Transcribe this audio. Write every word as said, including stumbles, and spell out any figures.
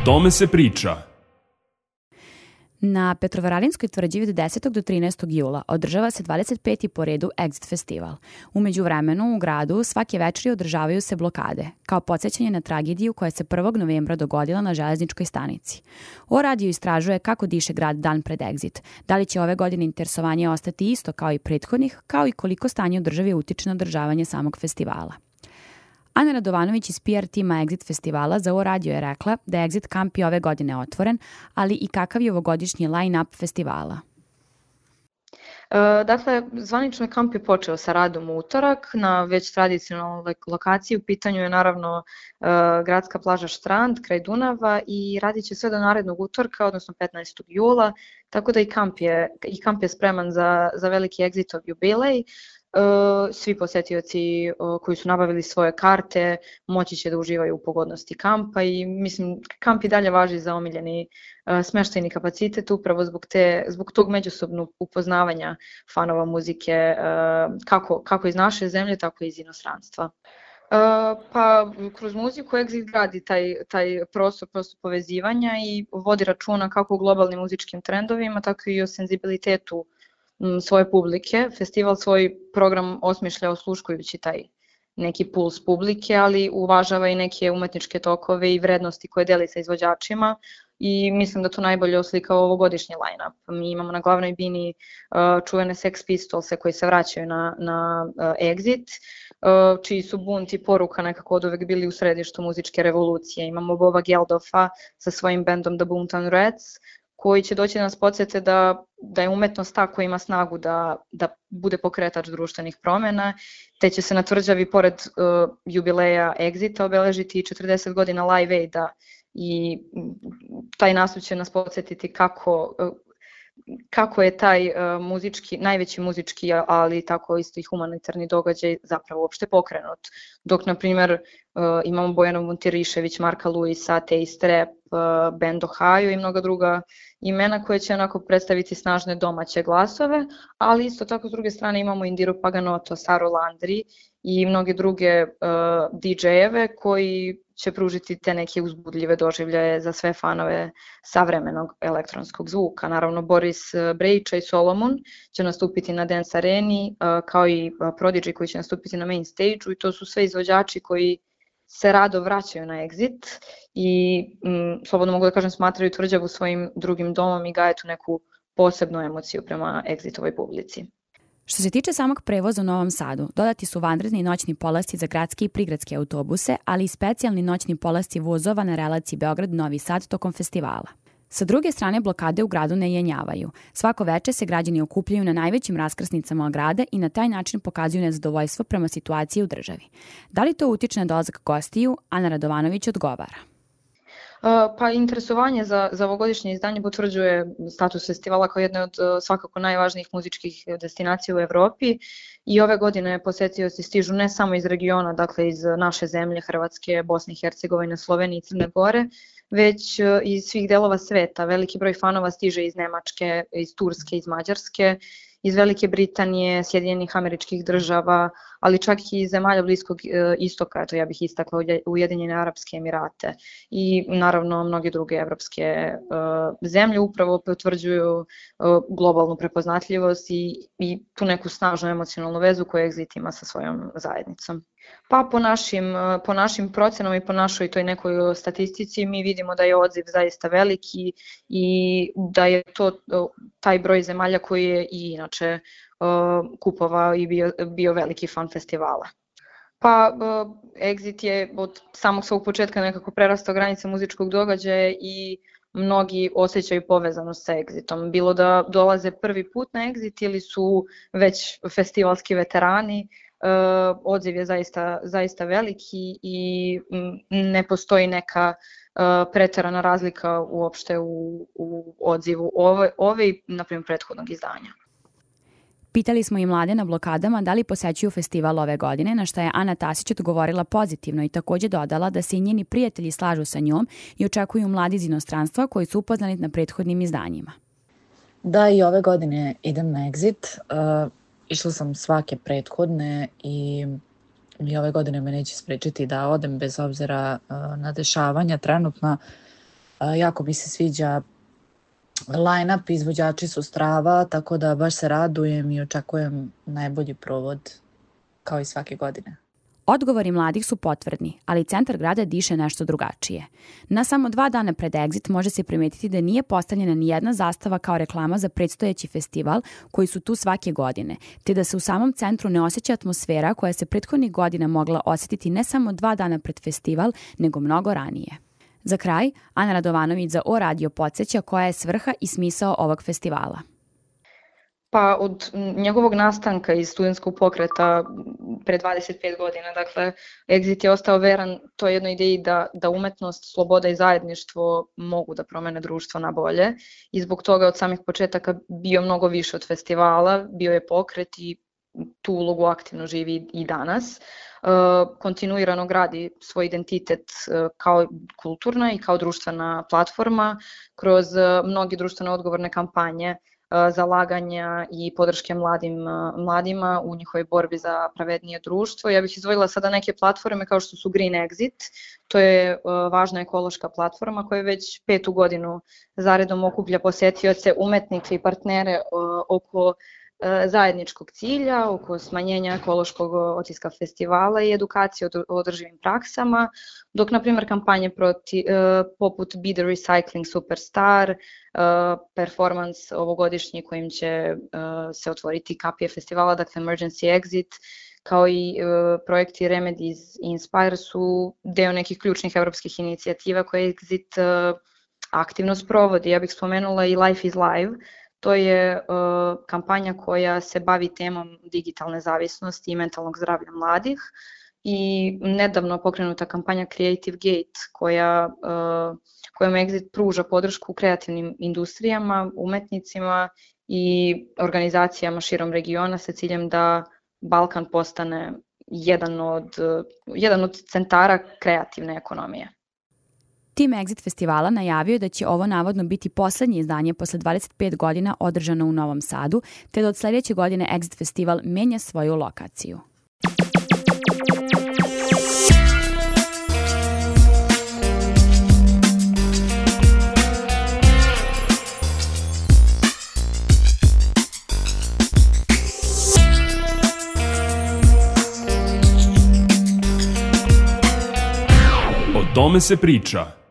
tome se priča. Na Petrovaradinskoj tvrđavi od desetog do trinaestog jula održava se dvadeset peti po redu Exit festival. U međuvremenu u gradu svake večeri održavaju se blokade, kao podsjećanje na tragediju koja se prvog novembra dogodila na železničkoj stanici. O radio istražuje kako diše grad dan pred Exit, da li će ove godine interesovanje ostati isto kao i prethodnih, kao i koliko stanje u državi utiče na održavanje samog festivala. Ana Radovanović iz P R tima Exit festivala za O radio je rekla da je Exit kamp i ove godine otvoren, ali i kakav je ovogodišnji line-up festivala. E, dakle, zvanično kamp je počeo sa radom u utorak na već tradicionalnoj lokaciji. U pitanju je naravno e, gradska plaža Štrand kraj Dunava i radit će sve do narednog utorka, odnosno petnaestog jula, tako da i kamp je, i kamp je spreman za, za veliki Exitov jubilej. Svi posjetioci koji su nabavili svoje karte moći će da uživaju u pogodnosti kampa i mislim kamp i dalje važi za omiljeni smeštajni kapacitet upravo zbog, te, zbog tog međusobnog upoznavanja fanova muzike kako, kako iz naše zemlje tako i iz inostranstva. Pa kroz muziku Exit gradi taj, taj prostor, prostor povezivanja i vodi računa kako u globalnim muzičkim trendovima tako i o senzibilitetu svoje publike. Festival svoj program osmišlja osluškujući taj neki puls publike, ali uvažava i neke umetničke tokove i vrednosti koje deli sa izvođačima i mislim da to najbolje oslika ovogodišnji line-up. Mi imamo na glavnoj bini uh, čuvene Sex Pistolse koji se vraćaju na, na uh, Exit, uh, čiji su bunt i poruka nekako od uvek bili u središtu muzičke revolucije. Imamo Boba Geldofa sa svojim bendom The Boomtown Rats, koji će doći da nas podsjete da, da je umetnost ta koja ima snagu da, da bude pokretač društvenih promjena, te će se na tvrđavi pored uh, jubileja Exita obeležiti četrdeset godina Live Aida i taj nastup će nas podsjetiti kako, uh, kako je taj uh, muzički, najveći muzički, ali tako isto i humanitarni događaj zapravo uopšte pokrenut. Dok, na primjer, uh, imamo Bojana Vuntirišević, Marka Luisa, Taste Rap, uh, band Ohio i mnoga druga imena koje će onako predstaviti snažne domaće glasove, ali isto tako s druge strane imamo Indiru Paganoto, Saru Landry i mnoge druge uh, D J-eve koji će pružiti te neke uzbudljive doživljaje za sve fanove savremenog elektronskog zvuka. Naravno, Boris Brejića i Solomon će nastupiti na Dance Areni, kao i Prodigy koji će nastupiti na main stage-u i to su sve izvođači koji se rado vraćaju na Exit i m, slobodno mogu da kažem smatraju tvrđavu svojim drugim domom i gaje tu neku posebnu emociju prema Exitovoj publici. Što se tiče samog prevoza u Novom Sadu, dodati su vanredni noćni polasci za gradske i prigradske autobuse, ali i specijalni noćni polasci vozova na relaciji Beograd-Novi Sad tokom festivala. Sa druge strane, blokade u gradu ne jenjavaju. Svako veče se građani okupljaju na najvećim raskrsnicama grada i na taj način pokazuju nezadovoljstvo prema situaciji u državi. Da li to utiče na dolazak gostiju? Ana Radovanović odgovara. Pa interesovanje za, za ovogodišnje izdanje potvrđuje status festivala kao jedne od svakako najvažnijih muzičkih destinacija u Evropi i ove godine posetioci stižu ne samo iz regiona, dakle iz naše zemlje, Hrvatske, Bosne i Hercegovine, Slovenije i Crne Gore, već iz svih delova sveta. Veliki broj fanova stiže iz Nemačke, iz Turske, iz Mađarske, iz Velike Britanije, Sjedinjenih Američkih Država, ali čak i iz zemalja Bliskog istoka, to ja bih istakla Ujedinjene Arapske Emirate i naravno mnoge druge evropske uh, zemlje upravo potvrđuju uh, globalnu prepoznatljivost i, i tu neku snažnu emocionalnu vezu koju Exit ima sa svojom zajednicom. Pa po našim, po našim procenama i po našoj toj nekoj statistici mi vidimo da je odziv zaista veliki i da je to taj broj zemalja koji je i inače uh, kupovao i bio, bio veliki fan festivala. Pa uh, Exit je od samog svog početka nekako prerastao granice muzičkog događaja i mnogi osjećaju povezanost sa Exitom. Bilo da dolaze prvi put na Exit ili su već festivalski veterani, Uh, odziv je zaista, zaista veliki i ne postoji neka uh, preterana razlika uopšte u, u odzivu ove, ove i naprimjer prethodnog izdanja. Pitali smo i mlade na blokadama da li posećuju festival ove godine, na što je Ana Tasić odgovorila pozitivno i takođe dodala da se i njeni prijatelji slažu sa njom i očekuju mladi iz inostranstva koji su upoznani na prethodnim izdanjima. Da, i ove godine idem na Exit. Uh... Išla sam svake prethodne i, i ove godine me neće sprečiti da odem bez obzira uh, na dešavanja trenutna. Jako mi se sviđa line-up, izvođači su strava, tako da baš se radujem i očekujem najbolji provod kao i svake godine. Odgovori mladih su potvrdni, ali centar grada diše nešto drugačije. Na samo dva dana pred Exit može se primetiti da nije postavljena ni jedna zastava kao reklama za predstojeći festival koji su tu svake godine, te da se u samom centru ne osjeća atmosfera koja se prethodnih godina mogla osjetiti ne samo dva dana pred festival, nego mnogo ranije. Za kraj, Ana Radovanović za O Radio podsjeća koja je svrha i smisao ovog festivala. Pa od njegovog nastanka iz studentskog pokreta pre dvadeset pet godina, dakle, Exit je ostao veran toj jednoj ideji da, da umetnost, sloboda i zajedništvo mogu da promene društvo na bolje i zbog toga od samih početaka bio mnogo više od festivala, bio je pokret i tu ulogu aktivno živi i danas. Kontinuirano gradi svoj identitet kao kulturna i kao društvena platforma kroz mnoge društveno odgovorne kampanje, zalaganja i podrške mladim, mladima u njihovoj borbi za pravednije društvo. Ja bih izdvojila sada neke platforme kao što su Green Exit, to je važna ekološka platforma koja već petu godinu zaredom okuplja posetioce, umetnike i partnere oko zajedničkog cilja, oko smanjenja ekološkog otiska festivala i edukacije o održivim praksama, dok, na primjer, kampanje proti, poput Be the Recycling Superstar, performance ovogodišnji kojim će se otvoriti kapije festivala, dakle Emergency Exit, kao i projekti Remedies i Inspire su deo nekih ključnih evropskih inicijativa koje Exit aktivno sprovodi. Ja bih spomenula i Life is Live. To je uh, kampanja koja se bavi temom digitalne zavisnosti i mentalnog zdravlja mladih i nedavno pokrenuta kampanja Creative Gate koja, uh, kojom Exit pruža podršku kreativnim industrijama, umetnicima i organizacijama širom regiona sa ciljem da Balkan postane jedan od, jedan od centara kreativne ekonomije. Tim Exit festivala najavio je da će ovo navodno biti poslednje izdanje posle dvadeset pet godina održano u Novom Sadu, te da od sledeće godine Exit festival menja svoju lokaciju. O tome se priča.